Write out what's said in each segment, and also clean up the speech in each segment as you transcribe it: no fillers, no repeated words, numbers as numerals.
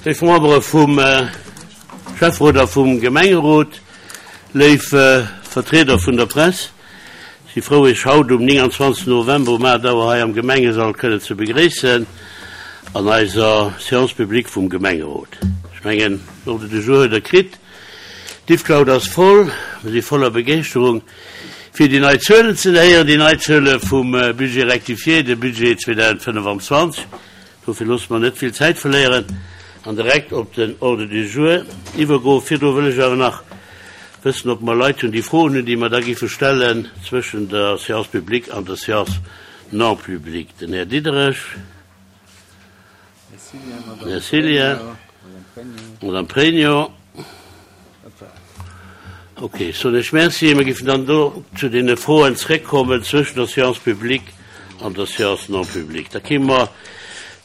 Léif Membere vum Schäfferot a vum Gemengerot, léif Vertrieder vun der Press, ech si frou Iech haut um 29 November um 8 Auer hei am Gemengesall kënnen ze begréissen an eiser Séance publique vum Gemengerot. Ech mengen, Ordre du jour huet Der kritt. D'Yves-Claude ass voll, mir si voller Begeeschterung fir déi nei Zuelen ze héieren, déi nei Zuele vum Budget rectifié, de Budget 2025. Dofir loosse mer net vill Zäit verléieren an direkt op den Ordre du jour iwwergoen. Virdru wëll ech awer nach wëssen, ob mer Leit hunn, déi Froen hunn, déi mer da géife stellen zwëschen der Séance publique an der Séance non publique. Den Här Diderich. Här Cillien, Madame Pregno. Ok, soen ech Merci. Mir géifen dann do zu deene Froen zréckkommen zwëschen der Séance publique an der Séance non publique. Da kéime mer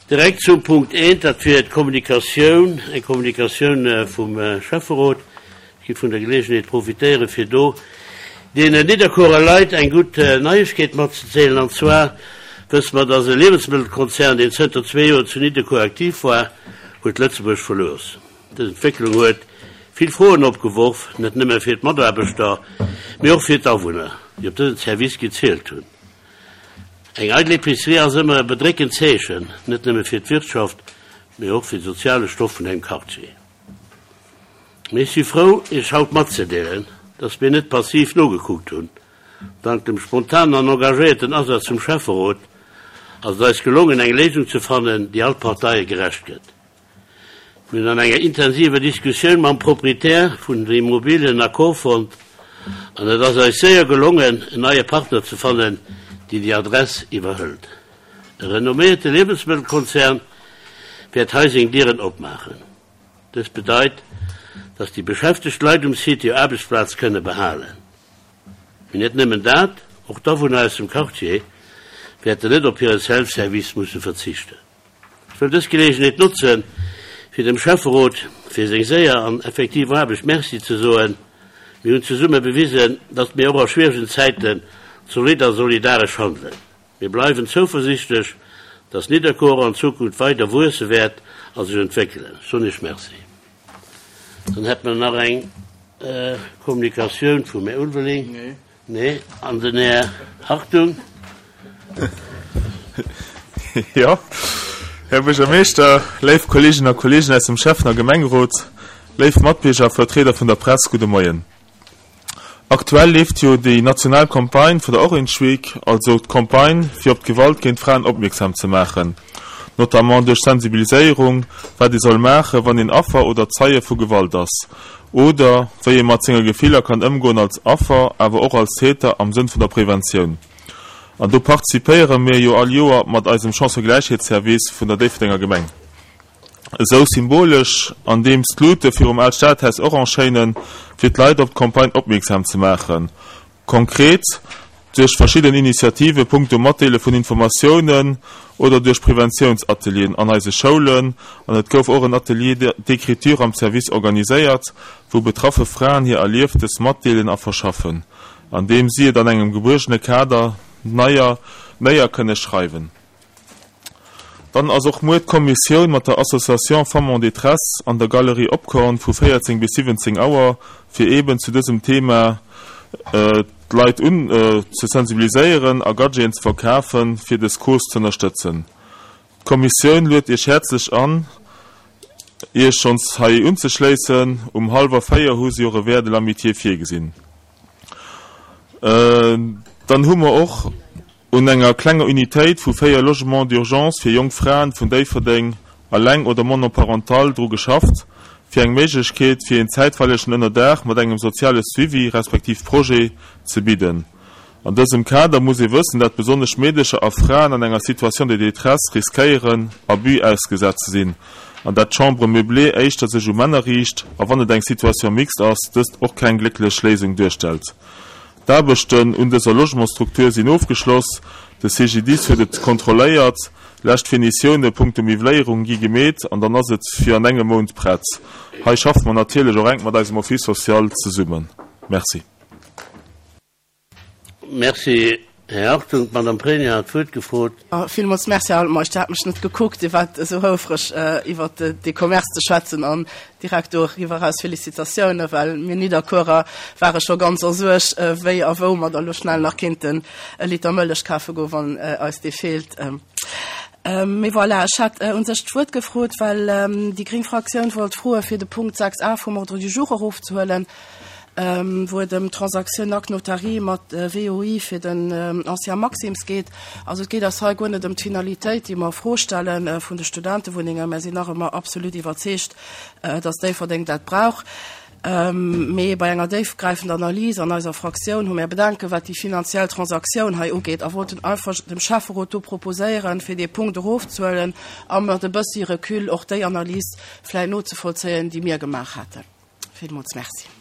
direkt zum Punkt eent, dat wier d'Kommunikatioun, eng Kommunikatioun vum Schäfferot. Ech géif vun der Geleegenheet profitéieren, fir do deenen Nidderkuerer Leit eng gutt Neiegkeet matzedeelen. An zwar wësse mer, dass e Liewensmëttelkonzern, deen zënter zwee Joer zu Nidderkuer aktiv war, huet Lëtzebuerg verlooss. Dës Entwécklung huet vill Froen opgeworf, net nëmme fir d'Mataarbechter, mee och fir d'Awunner, déi op dësen Service gezielt hunn. Eng eidel Epicerie ass ëmmer e bedréckend Zeechen, net nëmme fir d'Wirtschaft, mee och fir de soziale Stoff vun engem Quartier. Mee ech si frou, Iech haut matzedeelen, dass mir net passiv nogekuckt hunn. Dank dem spontanen an engagéierten Asaz vum Schäfferot ass et eis gelongen, eng Léisung ze fannen, déi all Parteie gerecht gëtt. Mir hunn an enger intensiver Diskussioun mam Proprietär vun der Immobilie en Accord fonnt an et ass eis séier gelongen, en neie Partner ze fannen, deen déi Adress iwwerhëlt. E renomméierte Liewensmëttelkonzern wäert hei seng Dieren opmaachen. Dëst bedeit, dass déi beschäftegt Leit um Site hir Aarbechtsplaz kënne behalen. Mee net nëmmen dat, och d'Awunner aus dem Quartier wäerten net op hire Self-Service musse verzichten. Ech wëll dës Geleegenheet notzen, fir dem Schäfferot fir seng séier an effektiv Aarbecht Merci ze soen. Mir hunn zesumme bewisen, datt mir och a schwieregen Zäiten zolidd a solidaresch handelen. Mir bleiwen zouversichtlech, dass Nidderkuer an Zukunft weider wuesse wäert a sech entwéckelen. Ech soen Iech Merci. Dann hätte mer nach eng Kommunikatioun vum Här Ulveling. Nee. An den Här Hartung. Jo, Här Buergermeeschter, léif Kolleeginnen a Kolleegen aus dem Schäffen a Gemengerot, léif Matbierger a Vertrieder vun der Press, gudde Moien. Aktuell leeft jo déi national Campagne vun der Orange Week, also d'Campagne fir op d'Gewalt géint Fraen opmierksam ze maachen, notamment duerch Sensibiliséierung, wat ee soll maachen, wann een Affer oder Zeie vu Gewalt ass, oder wéi ee mat senge Gefiller kann ëmgoen als Affer, awer och als Täter am Sënn vun der Preventioun. An do participéiere mir jo all Joer mat eisem Chancëgläichheetsservice vun der Déifferdenger Gemeng. Esou symbolesch, andeems d'Luute virum Aalt Stadhaus orange schéinen, fir d'Leit op d'Campagne opmierksam ze maachen. Konkret duerch verschidden Initiative punkto Matdeele vun Informatiounen oder duerch Preventiounsatelieren an eise Schoulen. An et gouf och en Atelier d'écriture am Service organiséiert, wou betraffe Fraen hir Erlieftes matdeelen a verschaffen, andeem si et an engem gebuergene Kader neier néier kënne schreiwen. Dann ass och muer d'Kommissioun mat der Association Femmes en détresse an der Galerie Opkorn vu 14 bis 17 Auer, fir eeben zu dësem Thema d'Leit un ze sensibiliséieren a Gadgeten ze verkafen, fir des Cause z'ënnerstëtzen. D'Kommissioun luet Iech häerzlech an, Iech schonns hei unzeschléissen. Um hallwer 4 hu si och e Verre de l'amitié virgesinn. Dann hu mer och Un enger klenger Unitéit vu 4 Logements d'urgence fir jonk Fraen vun Déifferdeng, alleng oder monoparental, dru geschafft, fir eng Méiglechkeet fir een zäitweilegen Ënnerdaach mat engem soziale Suivi respektiv Projet ze bidden. An dësem Kader muss ee wëssen, dat besonnesch Meedecher a Fraen an enger Situation de détresse riskéieren, Abus ausgesat ze sinn, an dat d'Chambre meublée éischter sech u Männer riicht a wann et eng Situation mixte ass, dëst och keng glécklech Léisung duerstellt. D'Aarbechten un dëser Logementsstruktur sinn ofgeschloss, de CGDIS huet et kontrolléiert, lescht Finitioune punkto Miwwléierung gi gemeet an dann ass et fir an engem Mount prett. Hei schaffe mer natierlech och enk mat eisem Office social zesummen. Merci. Merci, Här Hartung, d'Madame Pregno hat d'Wuert gefrot. Villmools Merci, Här Altmeisch. Dir hat mech net gekuckt. Dir waart esou houfreg, iwwert de Commerce ze schwätzen an direkt doriwwer eraus Félicitatiounen, well mir Nidderkuerer ware scho ganz a Suerg, wéi a wou mer da lo schnell nach kéinten e Liter Mëllech kafe goen, wann eis dee feelt. Mee voilà, ech hat u sech d'Wuert gefrot, well déi gréng Fraktioun wollt froe fir de Punkt 6 a vum Ordre du jour erofzehuelen, wou et ëm d'Transaktioun Acte notarié mat WOI fir den Ancien Maxim's geet. Also et geet eis hei guer net ëm d'Finalitéit, déi mer a Fro stelle vun de Studentewunnengen. Mär sinn nach ëmmer absolut iwwerzeegt, dass Déifferdeng dat brauch. Mee bei enger déifgräifender Analys an eiser Fraktioun hu mär Bedenken, wat déi finanziell Transaktioun hei ugeet a wollten einfach dem Schäfferot do proposéieren, fir dee Punkt erofzehuelen a mat e bëssi Recul och déi Analys vläicht nozevollzéien, déi mir gemaach haten. Villmools Merci.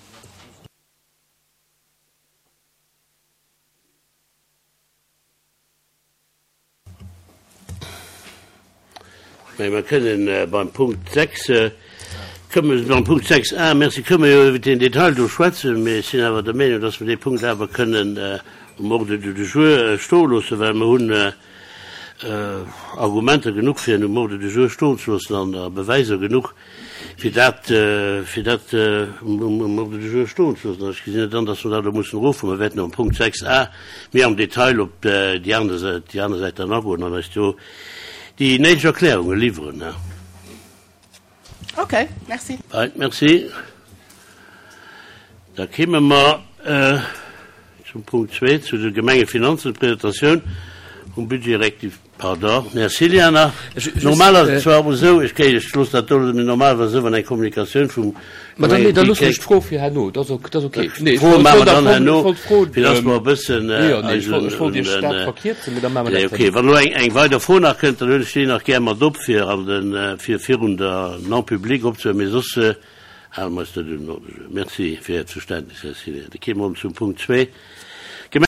Mä mer kënnen beim Punkt 6, kënnen beim Punkt 6 a, merci, kënnen mer jo iwwer den Detail do schwätzen, mä ech sinn awer der Meenung, dass mer dee Punkt awer kënnen um Ordre du jour stoe loossen, well mer hunn Argumenter genuch, fir en um Ordre du jour stoen ze loossen an a Beweiser genuch, fir dat, fir dat um Ordre du jour stoen ze loossen. An ech gesinn net an, dass mer dat elo mussen erofhuelen. Mer wäerten um Punkt 6 a méi am Detail op déi aner Säit, déi aner Säit dann agoen an eis do déi néideg Erklärunge liwweren. Okay, merci. Right, merci. Da kéime mer zum Punkt 2, zu de Gemengefinanzen, d'Presentatioun vum Budget rectifié. Pardon, Här Ciliana, normal ass et zwar och esou, ech kéint, ech loosse dat do, mee normal ass et esou, wann eng Kommunikatioun vum Mä dann, nee, da loosse ech d'Fro fir herno, dat ass ok, dat ass ok. Nee, ech wollt, maache mer dann herno, fir dass mer e bëssen eis un, un den, nee, ok, wann elo eng, eng weider Fro nach kënnt, dann huelen ech déi nach gär mat op, fir an den, fir virun der Non-publique opzehuelen, mee soss hale mer eis net un den Ordre du jour. Merci fir Äert Verständnis, Här Ciliana. Da kéime mer zum Punkt 2.